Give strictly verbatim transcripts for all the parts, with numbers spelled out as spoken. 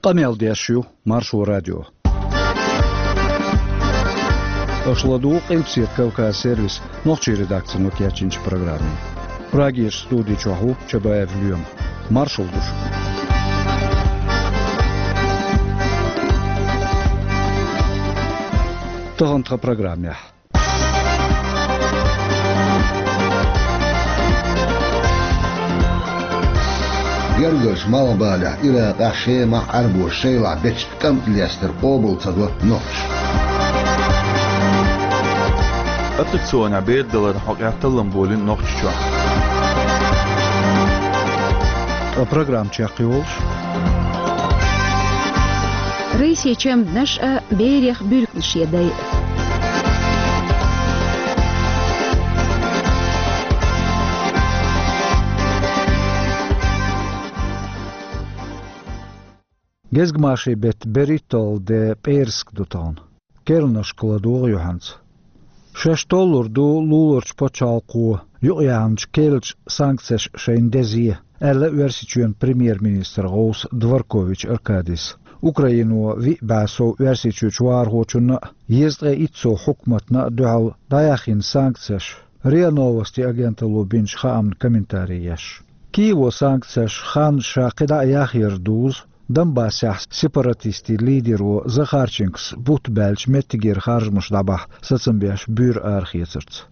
Къамел деш ю Маршо радио. Аша ладугӀу Къилбаседа Кавказ сервисан нохчийн редакцино кечйинчу программе. Прагерчу студи чохь ву Чабаев Лоьма. Маршалла ду шуьга. Тахана тхан программехь. Гергарчу Малхбалехь, Иракъехь, Шемахь Ӏаьрбоша шайлахь бечу кӀантана лестар къобал ца до нохчаша. Аттракционехь бер даларна хьокъехь таллам болийна Нохчийчохь. Ткъа программа чекхйолуш. Райсечем днаш а берех буьркнаш я дай. Гезгмашин беттан берхӀитталгӀа де пӀераска ду тахана. Керланашка ладогӀа юьхьанца. Шаьш толлур ду луларчу пачхьалкхо юкъаяьхначу керлачу санкцеша шайна деза, аьлла Оьрсийчоьнан премьер-министран гӀовса Дворкович Аркадис. Украино виъ бӀе сов Оьрсийчуьрчу вахархочунна а, езткъе итт сов хьукматна а дуьхьал дӀаяьхйина санкцеша, РИА Новости агенталло бинчу хаамна комментари еш. Киево санкцеша хан ша кхидӀа а яхъяр дузу, Донбассехь сепаратистийн лидеро Захарченкос бутт баьлча меттигера харжамаш дӀабахьа сацам беш буьйр арахецарца.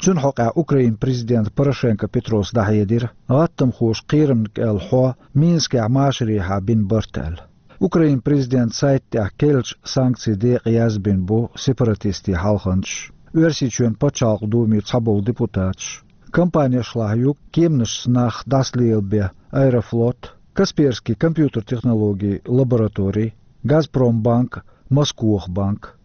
Цуьнан хьокъехь Украинан президента Порошенко Петрос дӀахьедира, гӀаттамхоша кхерамна кӀел хьо Минскехь машарехьа бина барт аьлла. Украинан президентан сайта тӀехь керлачу санкцийн декъа язбина бу сепаратистийн хьалханчаш, Оьрсийчоьнан пачхьалкхан Думе цхьаболу депутаташ. Компанешлахь ю кеманашца нах дӀасалелабен Аэрофлот, Касперский компьютер технологийн лаборатори, Газпромбанк, Москох банк.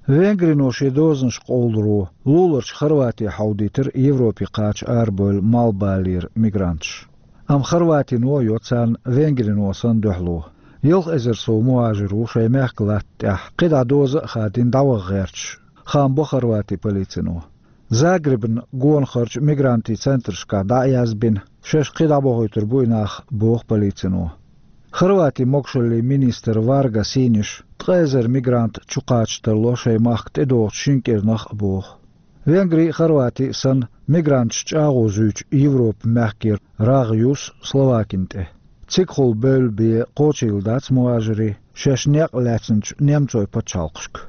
Венгрино шен дозанаш къовлуро луларчу Хорвати хьовдийтира Европе кхача арабевлла Малхбалера мигранташ. Амма Хорватино а йо царна Венгрино санна дуьхьало. Ялх эзар сов мухӀажир ву шайн мехкан латта тӀехь кхидӀа доза а хадийна дӀаваха гӀерташ, хаам бо Хорватин полицино. Загребан гонахарчу мигрантийн центрашкахь дӀа а язбина, шаьш кхин дӀабохуьйтур бу и нах, боху полицино. Хорватин могушаллин министр Варга Синиша ткъа эзар мигрант чукхача тарло шайн махка тӀедогӀучу шина кӀирнах а боху. Венгри а, Хорвати а санна, мигранташ чӀагӀо зуьйчу Европан мехкера рагӀ юссу Словакина тӀе. Цигахула бевлла бен кхочийла дац мухӀажирийн шаьш некъ лаьцначу немцойн пачхьалкхашка.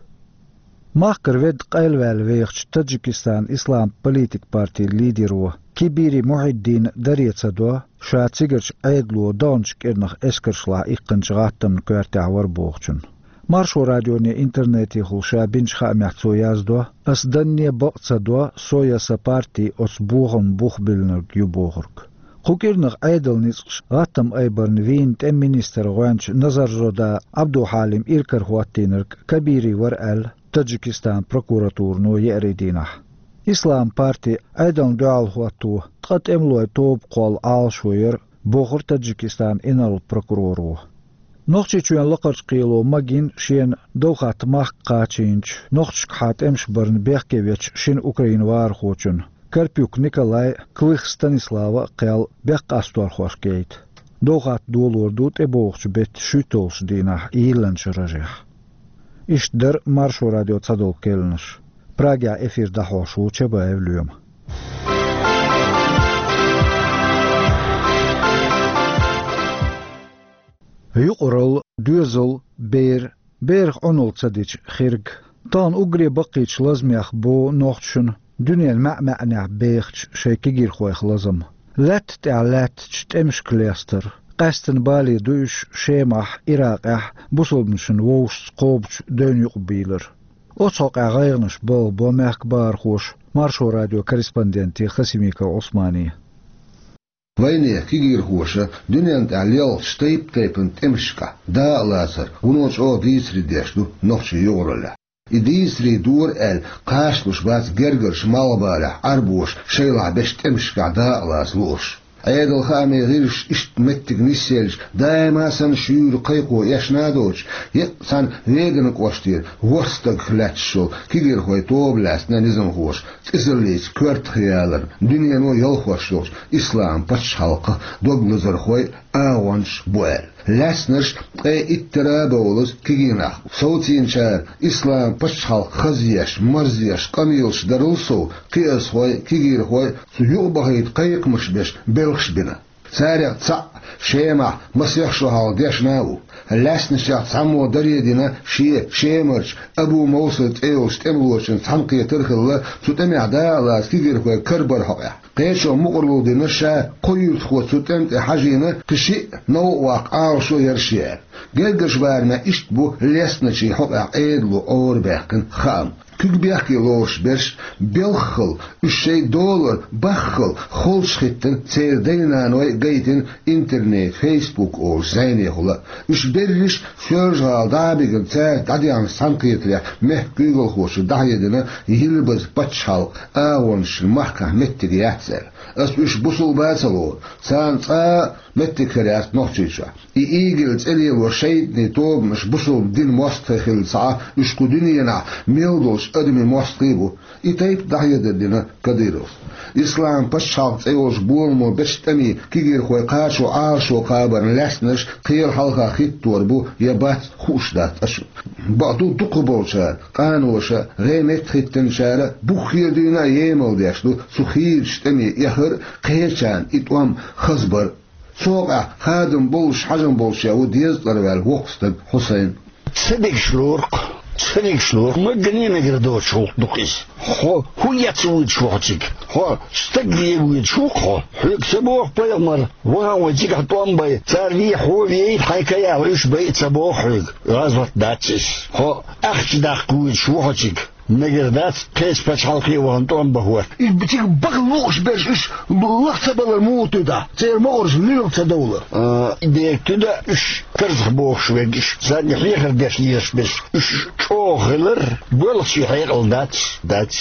Махкара ведда къайлаваьлла вехачу Таджикистанан ислам политикан партин лидеро Кибири Мухьиддина даре ца до, ша цигарчу Ӏедало даханчу кӀирнах эскаршлахь иккхинчу гӀаттамна коьртехь вара бохучунна. Маршо радионе интернетехула ша бинчу хаамехь цо яздо: «Ас данне бакъ ца до, со я сан парти оцу бохамна бух биллинарг ю», — бохург. Кху кӀирнах Ӏедалан ницкъаша гӀаттам айбарна вийна тӀеман министран гӀоьнча Назарзода Ӏабдухьалим иракарахӀоттийнарг Кабири вара аьлла, Таджикистанан прокуратурано еарин дийнахь. Ислам парти Ӏедална дуьхьал хӀотто ткъа тӀемалойн тоба кхолла Ӏалашо яра, бохура Таджикистанан инарла прокуроро. Нохчийчоьнан лакхарчу кхело магийна шена довхатта махка кхачийначу, нохчашкахьа тӀемаш барна бехке вечу шина украин вахархочунна, Карпюк Николайн а, Клых Станиславан а кхел бехкъасторхошка яйта. Довхатта долор ду тӀебогӀучу беттан шуьйтталгӀачу дийнахь йиллинчу рожехь. Иштта дара Маршо радион цхьадолу керланаш. Прагехь эфир дӀахьош ву Чабаев Лоьма. Юкъаралла, доьзал, бер, берах Ӏуналла ца дича хирг. Тахана уггаре баккхийчу лазамех бу нохчашна дуьненан маьӀ-маьӀнехь бехачу шайн кегийрхойх лазам. Лаьтта тӀехь лаьттачу тӀемашка лестар, къаьсттина бале ду уьш Шемахь, Иракъехь бусалбанашна вовшашца кхобучу девнна юкъабийлар. Оцу хьокъехь гӀайгӀанаш балхабо мехкан бахархоша Маршо радион корреспонденте Хасимиков Ӏусмане. Вайнехан кегийрхоша дуьненна тӀехь лелхачу тайп-тайпана тӀемашкахь дакъалацар вуно чӀогӀа дийцаре деш ду нохчийн юкъараллехь. И дийцаре дора аьлла, кхачалуш бац гергарчу Малхбалехь Ӏаьрбоша шайлахь бечу тӀемашкахь дакъалаца луурш. Ӏедал хаамийн гӀирсаша иштта меттиг нисъелча, даима санна шуьйра кхайкхо эшна а доцуш, еккъа цхьана Веданан кӀоштера ворхӀ стагах лаьтташ йолу кегийрхойн тоба лаьцна низамхоша цӀисаллица коьртах яларна, дуьнено ялхош йолчу ислам пачхьалкхах дог лазархой а, агӀончаш а бу аьлла. Лаьцнарш ткъе иттара а бовлаза кегий нах бу. Совцийначара ислам пачхьалкх хазъеш, марзъеш къамелаш дарал сов, кхиазхой, кегийрхой цу юкъа бахийта кхайкхамаш беш белхаш бина. Царех цхьаъ Шемахь масех шо хьалха дешна а ву. Лаьцначех цхьаммо даре дина шен Шемарчу Абу Мовсар цӀе йолчу тӀемалочун цхьаьнакхетар а хилла, цу тӀамехь дакъа лаца кегийрхой карабар хьокъехь. Кхечо мукъарло дина ша кхо юьртахо цу тӀам тӀе хьажийна, кхин шиъ новкъа ваккха Ӏалашо яра шен аьлла. Гергарчу барамехь иштта бу лаьцначийн хьокъехь Ӏедало Ӏорабаьккхина хаам. Куьг бехке лоруш берш белххал, уьш шайн долар баххал холчухӀиттина церан дай-наной а гайтина интернет, Facebook олучу зӀенехула а. Уьш берриш Соьлжа-ГӀала дӀа а бигина, цаьрца дӀадехначу цхьаьнакхетарехь мехкан куьйгалхочо дӀахьедина Йилбазан пачхьалкхан агӀончашна махкахь меттиг яц аьлла. Ас уьш бусулба а ца лору, царна цкъа а меттиг хир яц Нохчийчохь. И ИГИЛ цӀе лело шайтӀанийн тобанаш бусулба динан мостагӀий хилла ца Ӏа, уьш кху дуьненахь мел долчу адамийн мостагӀий а бу. И тайпа дӀахьедар дина Кадыровс. Ислам пачхьалкх цӀе йолчу боламо бечу тӀамийн кегийрхой кхачо Ӏалашо кхабарна лаьцнарш кхела хьалха хӀиттор бу я бац, хууш дац цкъачунна. Бакъду, дукхахболчара, къаноша, гӀеметтахӀ хӀиттинчара буххера дуьйна а емал деш ду цу хийрачу тӀаме эхар а, кхечарна и тӀом хазбар а. Цу хьокъехь хадам боллуш хьажам болуш а ву дезткъара ваьлла воккха стаг Хьусайн. Ца дегаш лору-кх, ца дегаш лору-кх, магане а мегар доцуш гӀуллакх ду-кх иза. Хьо хӀун эца воьдуш ву хьо цига? Хьо стаг вен воьдуш ву-кх хьо? Хьоьга ца боху пайхамара, вахана вай цигахь тӀом бай, цара вен хьо вейта, хьайн каяха уьш байа ца боху хьоьга? ГӀазот дац иза. Хьо ахча даккха воьдуш ву хьо цига? Мегар дац кхечу пачхьалкхе а вахана тӀом бан хӀотта. И цига баха лууш берш уьш лаха ца балар муха туьду? Церан могӀарш луьйла ца довлар? А, и дерг туьду уьш карзахбохуш верг, уьш санна хьехар деш лелаш берш. Уьш чӀогӀа хилар боьлхучийн хьекъал дац, дац.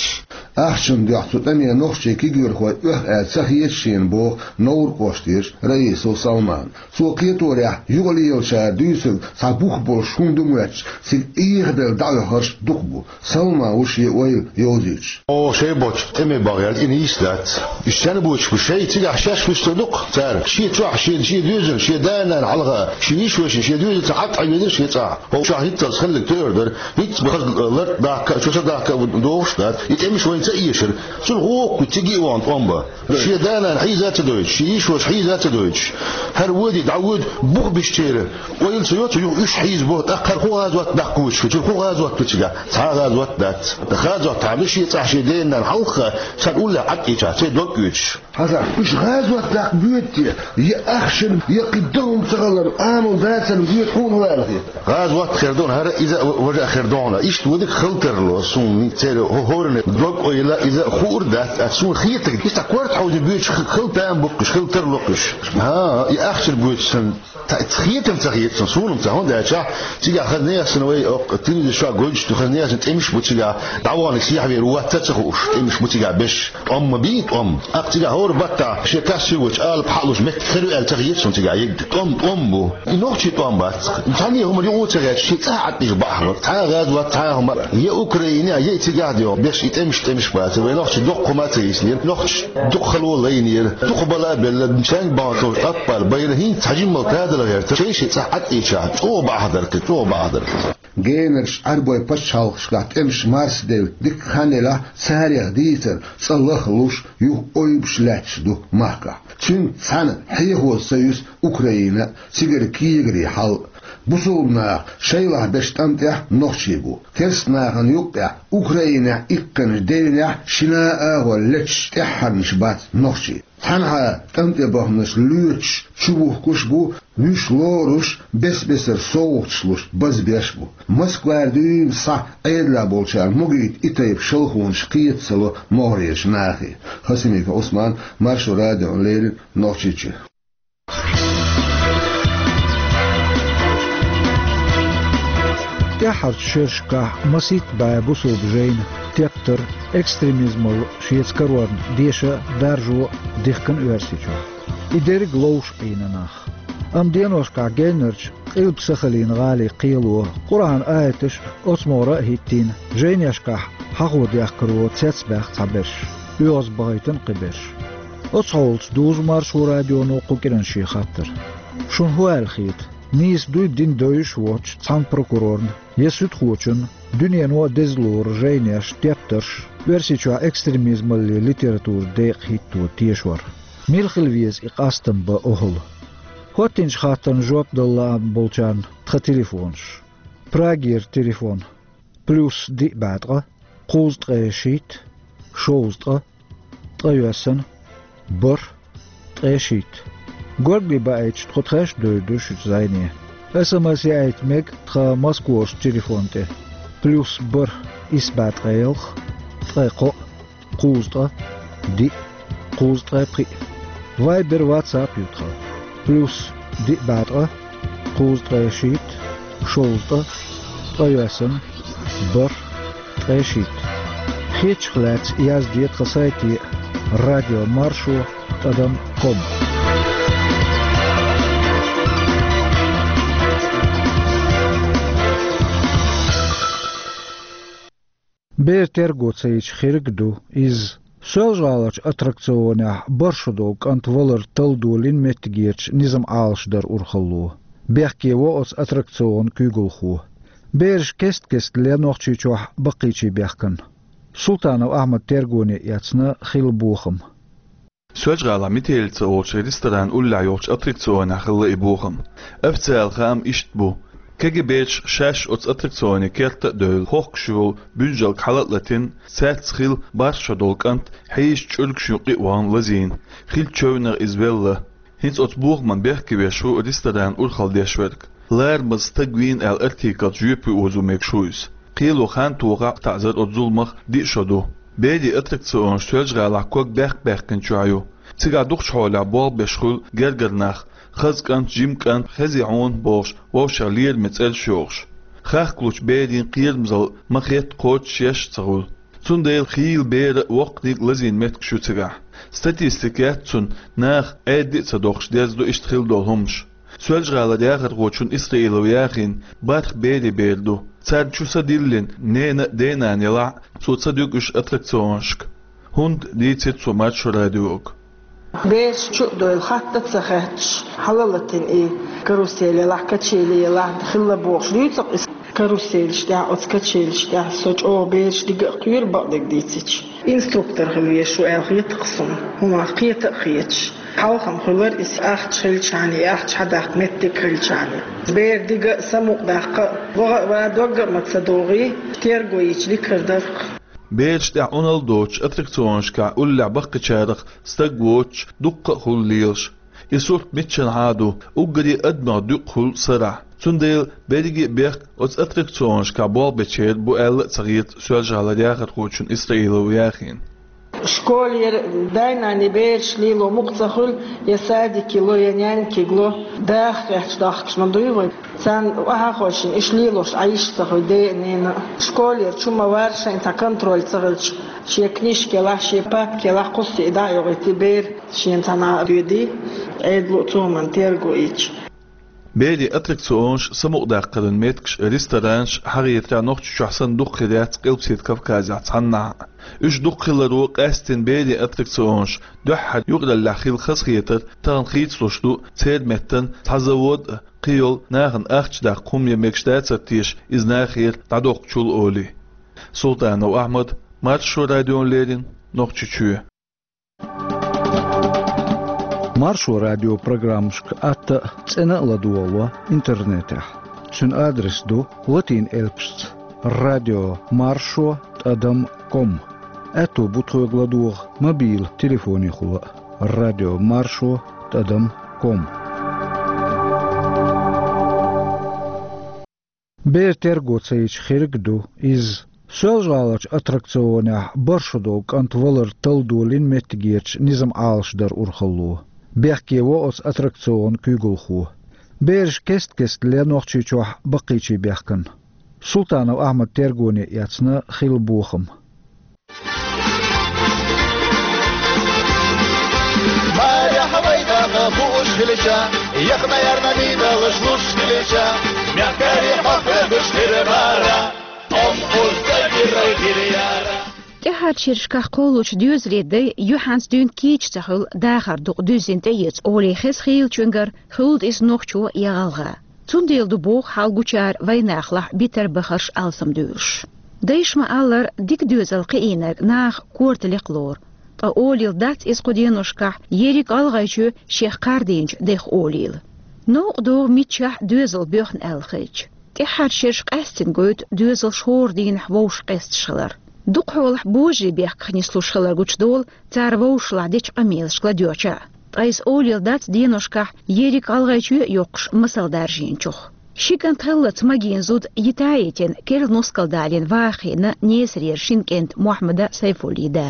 Ахчанан дуьхьа цу тӀаме нохчийн кегийрхой оьху аьлла ца хета шена боху Невран кӀоштерчу Раисов Салмана. Цо кхеторехь, юкъалелачара дуьйцург цхьа бух болуш хӀума ду моьттуш, цига эхадала дӀаоьхурш дукха бу. Салман ву шен ойла йовзуьйтуш. О, шайн боцчу тӀаме бахъяьлла, и нийса дац. Уьш сенна боцуш бу, шайн цигахь шаьш вуьсур ду-кх цара. Шен чохь, шен, шен доьзална, шен да-нанна хьалха, шен йишошна, шен доьзалца Ӏад Ӏавелира шен цӀахь. Хьо чохь хӀинццалц хилларг тӀеуьйр дара. ХӀинцца хаза лартӀа дахка а, чо са дахка а ву догӀуш дац. И тӀемаш вайна ца эшира. Цунна хӀокху цига а вахана тӀом бан. Шен да-нана хьийза а ца дойтуш, шен йишоша хьийза а ца дойтуш. ХӀара воьдий, дӀавоьду, бух бисчеран ойла ца йо цу юха уьш хьийзабо, тӀаккха хӀара хӀун гӀазот даккха воьдуш ву, цуьра хӀун гӀазот ду цигахь? Цхьа а гӀазот дац. ТӀаккха гӀазот хьан ду шен цӀахь шен ден-нанна хьалха, царна уллехь Ӏад Ӏийчахь, церан дог оьцуш? Хьажа, уьш гӀазот даккха боьду те, я ахчанан, я кхин догӀман ца хиларан, амал дацаран боьду, хьуна хӀун ала хета? ГӀазот хир ду хьуна хӀара, иза а, важа а хир ду хьуна. Иштта вуьдуш хила тарло, суна церан хӀо-, хӀоранна дог-ойла иза хуур дац, ткъа суна хетарг, иза корта хьовзий боьдуш хила там бу-кх уьш, хила тарло-кх уьш. ХӀан, и ахчанан боьдуш санна, та-, хетам ца хета суна, суна-м ца, хӀунда аьлча, цигахь хаза нехан санна вай, оккха, телевизор чохь гойтуш ду, хаза нехан санна тӀемаш бу цигахь, дӀаваханиг сехьавер ву, вац ца хууш, тӀемаш бу цигахь беш. ТӀом ма бий, тӀом. Аккха цигахь хӀора баттахь шен кассингочу алапа хьалуш меттиг хир ю аьлла ца хета суна цигахь ерг. ТӀом, тӀом бу. И нохчийн тӀом бац-кх. Цхьанне хӀуманна юкъа ца гӀерташ, шен цӀахь Ӏад Ӏийча бакъахьа. Цхьа а гӀазот, цхьа а хӀума. Я Украине, я и цигахь де, беш и тӀемаш, тӀемаш бац. Вай нохчий дукха хӀума ца йисинера. Нохчаша дукха хало лайнера. Дукха бала а белла, шайн бахьана товш аппал байра, хӀинца цхьа жимма тадала гӀерта. Шайн-шайн цӀахь Ӏад Ӏийча, чӀогӀа бакъахьа дара-кх, чӀогӀа бакъахьа дара-кх. Генарчу Ӏаьрбойн пачхьалкхашкахь тӀемаш марсаделла дика хан елахь, царех дийцар цкъа лахлуш, юха ойбуш лаьтташ ду махкахь. Цуьнца цхьаьна хьехоза ца юьсу Украина а, цигара кегари хьал а. Бусулба наха шайлахь бечу тӀам тӀехь нохчий бу. Керста нахана юккъехь, Украинехь иккхинчу девнехь шина а агӀор леташ тӀаьххьарнаш бац нохчий. Цхьанхьа тӀам тӀе баханарш лоьцуш, чубухкуш а бу, вуьш лоруш, бес-бесара совгӀаташ луш, базбеш а бу. Москвара дуьйна схьа Ӏедалехь болчарна могийта и тайпа шалхонаш кхета ца ло могӀарерчу нахе. Хасимиков Ӏусман, Маршо радиона леррина, Нохчийчоь. Тяххьарчу шерашкахь масийтта бӀе бусулба жайна тептар, экстремизмал шеца карорна деша а, даржо а дихкина Оьрсийчохь. И дерриг ловш Ӏийна нах. Амма деношкахь геннарчу Къилба-Сахалин гӀалин кхело Къуръан аяташ а, оцу могӀара а хӀиттийна, жайнешкахь хьахо дехкаро цецбаьхна цхьаберш, оьгӀазбахийтина кхиберш. Оцу хьолаца дузу Маршо радионо кху кӀиран шен хаттар. Шуна хӀун аьлла хета? Нийса дуй, дин дойуш а воцчу цхьана прокурорна я суьдхочунна дуьнено а деза лору жайнеш, тептарш, Оьрсийчохь экстремизмалле литературан декъа хӀитто тешор. Мила хила веза и къастам бан охӀла? ХӀоттинчу хаттарна жоп дала лаам болчарна тхан телефонаш. Прагера телефон: плюс диъ бӀе ткъа, кхузткъе шийтта, шовзткъа, ткъайоьсна, бархӀ, ткъе шийтта. Горгали баийтича, тхо тхаьш а девр ду шуьца зӀене. СМС яийта мега тхан Москварчу телефон тӀе: плюс бархӀ, исс бӀе ткъе ялх, ткъе кхоъ, кхузткъа, диъ, кхузткъе пхиъ. Вайбер, ватсап ю тхан: плюс диъ бӀе ткъа, кхузткъе шийтта, шовзткъа, ткъайоьсна, бархӀ, ткъе шийтта. Хетачух лаьцна язде тхан сайте: радио маршо тӀадам ком. Бер терго ца йича, хирг а ду иза. Соьлжа-ГӀаларчу аттракционехь бархӀ шо долу кӀант валар талла долийна меттигерчу низам Ӏалашдаран урхалло. Бехке во оцу аттракционан куьйгалхо. Бераш кест-кеста ле Нохчийчохь баккхийчийн бехкана. Султанов Ахьмад тергоне эцна хилла бохам. Соьлжа-ГӀалахь «Метелица» олучу ресторан уллехь йолчу аттракционехь хилла и бохам. Официалан хаам иштта бу: КГБ-чаша шаьш оцу аттракционе керта а девлла, хохкуш йолу буьнжалг хьала а латийна, цаьрца хилла бархӀ шо долу кӀант хьийзачу чӀуьргашна юккъе а вахана лазийна, хиллачу чевнех иза велла. ХӀинца оцу бохаман бехке веш ву ресторанан урхалла деш верг. Ларамаза стаг вийна аьлла артикалца жоьпе озо мегаш ву иза. Кхело хан тохахь а, таӀзар оцу зуламах диъ шо ду. Берийн аттракционаш Соьлжа-ГӀалахь ког баьккха баьккхинчохь ю. Цигахь дукхачу хьолехь болх беш хуьлу гергара нах, хаза кӀант, жима кӀант, хези хьуна бохуш, вовшех лераме цӀераш йохуш. Хахкалучу берийн кхерамзалла ма-хетта кхочушъеш а ца хуьлу. Цундела хийла беран а, воккханиг а лазийна меттигаш ю цигахь. Статистика яц цуьнан, наха Ӏедде а ца дохуш, дерзадо иштта хилла долу хӀуманаш. Соьлжа-ГӀалара яхархочун Исраилов Яхин бархӀ берийн бер ду. Царна чу са диллина, нена а, денана елахь а, цо ца дуьгу уьш аттракционашка. ХӀунда, дийцира цо Маршо радиога. Бераш чу а девлла, хатта а ца хетташ, хьала а латийна и карусель елахь, качели елахь, хилла бохуш дуьйцу-кх иза. Каруселаш тӀехь, оцу качелаш тӀехь со чӀогӀа бераш дига а кхоьру, бакъдерг дийцича. Инструктор хила везаш ву аьлла хета-кх суна, хӀуманах кхета а кхеташ. Хьалха-м хуьлура иза, ахча хилчахьана, и ахча хьадаккха меттиг хилчахьана. Бер дига а, самукъадаккха а, ваха а, ван догга а ма ца догӀий, терго йича дика хир дара-кх. Бераш тӀехь Ӏуналла доцуш аттракционашкахь уллехь баккхийчарах стаг воцуш дуккха а хуьлу лелаш. И сурт миччанхьа а ду, уггаре адамех дуькъа хуьлу сарахь. Цундела берриге а бехк оцу аттракционашкахь болх бечеран бу аьлла а ца хета Соьлжа-ГӀалара яхархочун Исраилов Яхина. Школера дай-наной бераш лело мукъа ца хуьлу, я садике ло, я нянькига ло, даха хьаьжча дахкаш ма дуй вай. Царна охьа а хойшина, уьш лелош Ӏаш ца хуьлу ден а, ненан а. Школера чу ма вара, шайн цхьа контроль ца хилча, шен книжка елахь, шен папка елахь, кхуссий дӀа а йохуьйтий, бер шена цхьанхьа а доьдий, Ӏедало а цу хӀуманна терго йича. Берийн аттракционаш, самукъадаккхаран меттигаш, ресторанаш хьахетарехь Нохчийчохь санна дукха хир яц Къилбаседа Кавказехь цхьаннахьа а. Уьш дукха хиларо, къаьсттина берийн аттракционаш дуьххьара юкъараллехь хилла хазахетар тахана хийцалуш ду церан меттана цхьа завод а, кхин йолу нахана ахча даккха хӀума ян мегаш дацара теша иза нахера дӀадоккхучул олий. Султанов Ахьмад, Маршо радиона леррина, Нохчийчоь. Маршо радион программашка атта а, цӀена а ладогӀало интернетехь. Цуьнан адрес ду: латин элпашца радио маршо тӀадам ком. Аьтто бу тхоьга ладогӀа мобил телефонехула а: радио маршо тӀадам ком. Бер терго ца йича, хирг а ду иза. Соьлжа-ГӀаларчу аттракционехь бархӀ шо долу кӀант валар талла долийна меттигерчу низам Ӏалашдаран урхалло. Бехке во оцу аттракционан куьйгалхо. Бераш кест-кеста ле Нохчийчохь баккхийчийн бехкана. Султанов Ахьмад тергоне эцна хилла бохам. Марехь вай дагӀа хууш хилча, яхна ярна мидалаш луш хилча, мягкари хьокхагаш хир бара, ом узда гирай гиряра. ТӀехьарча шерашкахь кхоллучу доьзалийн дай юьхьанца дуьйна кийча ца хуьлу, дахар дукха дуьззина тӀеэца олий хеза хийлачуьнгара, хуьлда иза нохчо я гӀалгӀа. Цундела ду боху хьал гучара вайнахалахь битар бахарш алсамдуьйлуш. Дайша ма-аллара, дика доьзал кхиийнарг наха корта лекха лору. Ткъа олийла дац иза кху деношкахь ерриг ГӀалгӀайчоь шех кхардийначу дех олийла. Новкъа догӀу миччахь доьзал боьхна аьлла хилча. ТӀехьарча шераш къаьстина гойту доьзалш хӀора дийнахь вовшах къесташ хилар. Дукха хьолахь божарийн бехках нислуш хилар гучудолу цара вовшашлахь дечу къамелашка ладоьгӀча а. Ткъа иза олийла дац деношкахь ерриг ГӀалгӀайчоь а йоккхуш масал даржийначух. Ши кӀант хиллалц магийна зуда йита а йитина, керла нускал далийна ваха хиъна Несарера шина кӀентан Мохьмадан, Сайфуллин да.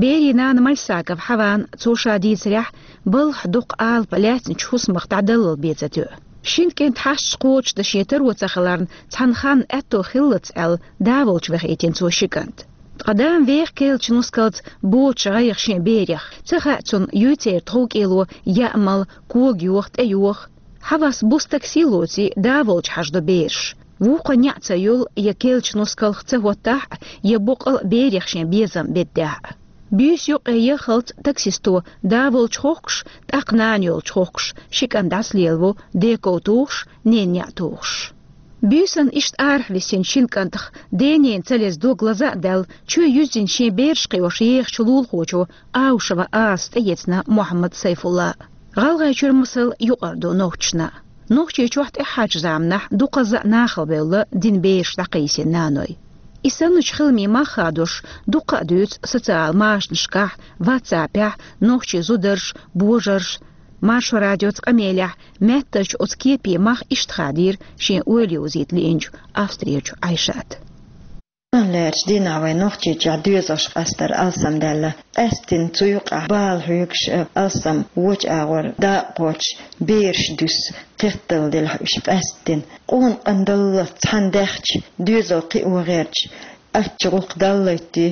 Берийн нана Мальсагова Хьаван, цо ша дийцарехь, балхахь дукха алапа лаьцначу хӀусамах дӀадаллал бен ца тоьу. Шина кӀентан хьашташ кхочушдан шен таро ца хиларна, цхьана ханна аьтто хиллалц аьлла, да волчу вахийтина цо ши кӀант. Ткъа дама веха керлачу нускалца боцуш гӀайгӀа шен берех. Ца хаьа цунна, юй церан тховкӀело яа мала, кога йоха, тӀе йоха. Хьавас буса такси лоций, да волчу хьажадо бераш. Вукхо неӀ ца йолу, я керлачу нускалх ца хӀоттахь а, я боккъал а берех шен безам беддехь а. Буьйса юккъе яххалц таксисто да волчу хохкуш, тӀаккха нана йолчу хохкуш, ши кӀант дӀасалелаво, ден ков тухуш, ненан неӀ тухуш. Буьйсанна иштта арахь висинчу шина кӀантах ден-ненан ца леза дог лаза а даьлла, чоь юьззина шен бераш кхиош ехачу лулахочо Аушева Асас тӀеэцна Мохьмад, Сайфулла. ГӀалгӀайчуьра масал юкъара ду нохчашна. Нохчийчохь тӀаьххьарчу заманахь дукхазза а нахала бевлла дина бераш дӀакхийсина наной. И санначу хиламийн мах хадош дуккха а дуьйцу социал машанашкахь, ватсапехь, нохчийн зударша, божарша, Маршо радиоца къамелехь меттачу оцу кепийн мах иштта хадийра шен ойла йовзийта лиъначу Австрерчу Ӏайшата. Лерчу дийнахь вайн Нохчийчохь доьзалш къастар алсамдаьлла. Къаьсттина цу юкъахь бала хьоьгуш а, алсам вочу агӀор дакъа кхочуш, бераш дуьсу, кхетталла делахь уьш къаьсттина. Къона къандалла цхьаьна даьхча, доьзал кхио гӀерташ, ачча гӀуллакх даллайтий,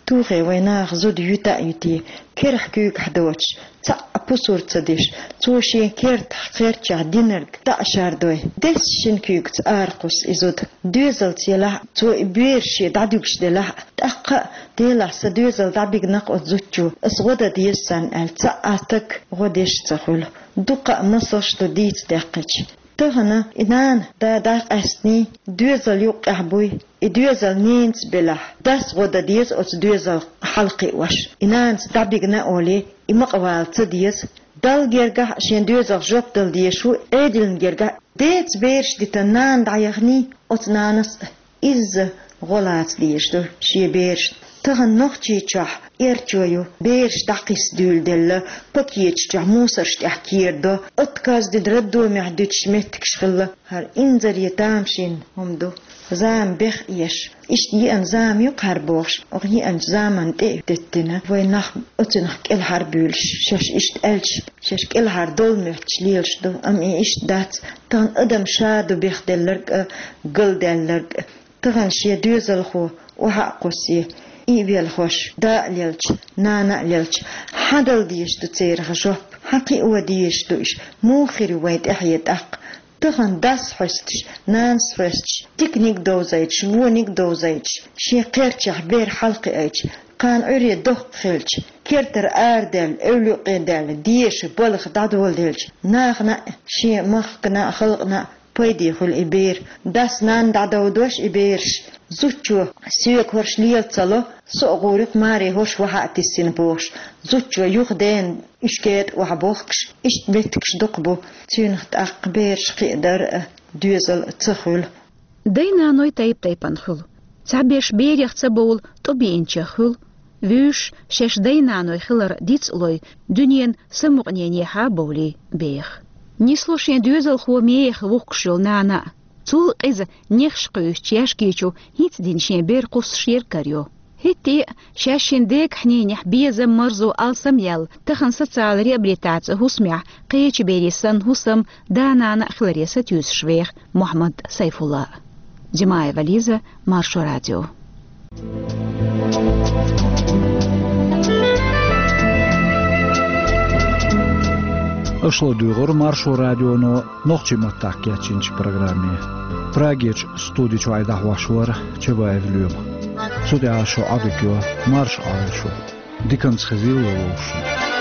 тухий вайн наха зуда юьта а юьтий, керахь куьйгахь доцуш, цхьаъ а пусар ца деш, цо шен кертахь, кхерчахь динарг дӀа а шардой, десса шина куьйгаца ара кхуссу и зуда. Доьзалца елахь а, цо и бераш шен дӀадуьгуш делахь а, тӀаккха а, делахь сан доьзал дӀабигна-кх оцу зудчо, ас гӀо дан деза царна аьлла, цхьа а стаг гӀо деш а ца хуьлу. Дукха а масалш ду дийца даьккхича. Тахана и нана, да дӀакъаьстиний, доьзал юккъехь буй, и доьзал ненаца белахь, дас гӀо дан деза оцу доьзал хьалакхиош. И нанаца дӀабигна а олий, и ма къавала ца деза. Далла гергахь а шен доьзалх жоп дала дезаш ву, Ӏедална гергахь а. Деца бераш дитина нана дӀаяханий, оцу нанас а изза гӀо лаца дезаш ду шен берашна. Тахана Нохчийчохь эрчо ю, бераш дӀакхисса дуьйладелла, пакеташ чохь мусарш тӀехь керадо, отказ дина роддомехь дуьтуш меттигаш хилла. ХӀара инзаре тамашийна хӀума ду. Зама беха еш. Иштта еана зама ю-кх хӀара бохуш, оха еанчу заманна тӀе а деттина, вайн нах оцунах кӀелхьарбуьйлуш, шаьш иштта аьлча, шаьш кӀелхьардовла моьттуш лелаш ду, амма и иштта дац. Тахана адам ша ду бехделларг а, галдаьлларг а. Тахана шен доьзалхо охьа а кхуссий, и а велхош, да а лелча, нана а лелча, хьан дала дезаш ду церах жоп? Хьан кхио дезаш ду уьш? Муха хир ю вайн тӀаьхье тӀаккха? Тахана дас хьоьстуш, нанас хьоьстуш, диканиг а довзуьйтуш, вониг а довзуьйтуш, шен кхерчахь бер хьалакхиуьйтуш, кхана Ӏуьйре доккха хилча, кертара арадаьлла, эвла юккъе даьлла, деша, балха дӀадоладелча, нахана а, шен махкана а, халкъана а пайде хуьлу и бер. Дас, нана дӀадовдош и бераш, зудчо соьга хӀорш лела ца ло, со а гӀур ю-кх, маре хӀорш вахьа а тиссина бохуш, зудчо юха дена уьш кетӀа охьабохкуш, иштта меттигаш дукха бу, цуьнах тӀаккха бераш кхиадар а, доьзал а ца хуьлу. Дай-наной тайп-тайпана хуьлу. Цхьаберш берех ца бовла, тӀо биъинчех хуьлу. Вуьйш шаьш дай-наной хилар дицлой, дуьненан самукъаненехьа бовлий беха. Нисло шен доьзалхо мехах вухкуш йолу нана а. Цул къиза нехаш кхуьйсучу яьшки чу хӀинца дина шен бер кхуссуш ерг карайо. ХӀетте а шаьш шина дегахь-ненехь безам, марзо алсам яьлла, тахана социал реабилитаци хӀусамехь кхечу берийн санна хӀусам, да-нана а хиларе сатуьйсуш веха Мухьаммад Сайфулла. Димаева Лиза, Маршо радио. Аша ладуьйгӀура Маршо радионо нохчийн маттахь кечйинчу программе. Прагерчу студи чуьра дӀахьош вара Чабаев Лоьма. Цу тӀехь шун Ӏадика йо, марша Ӏойла шу. Диканца хезийла вовшашна.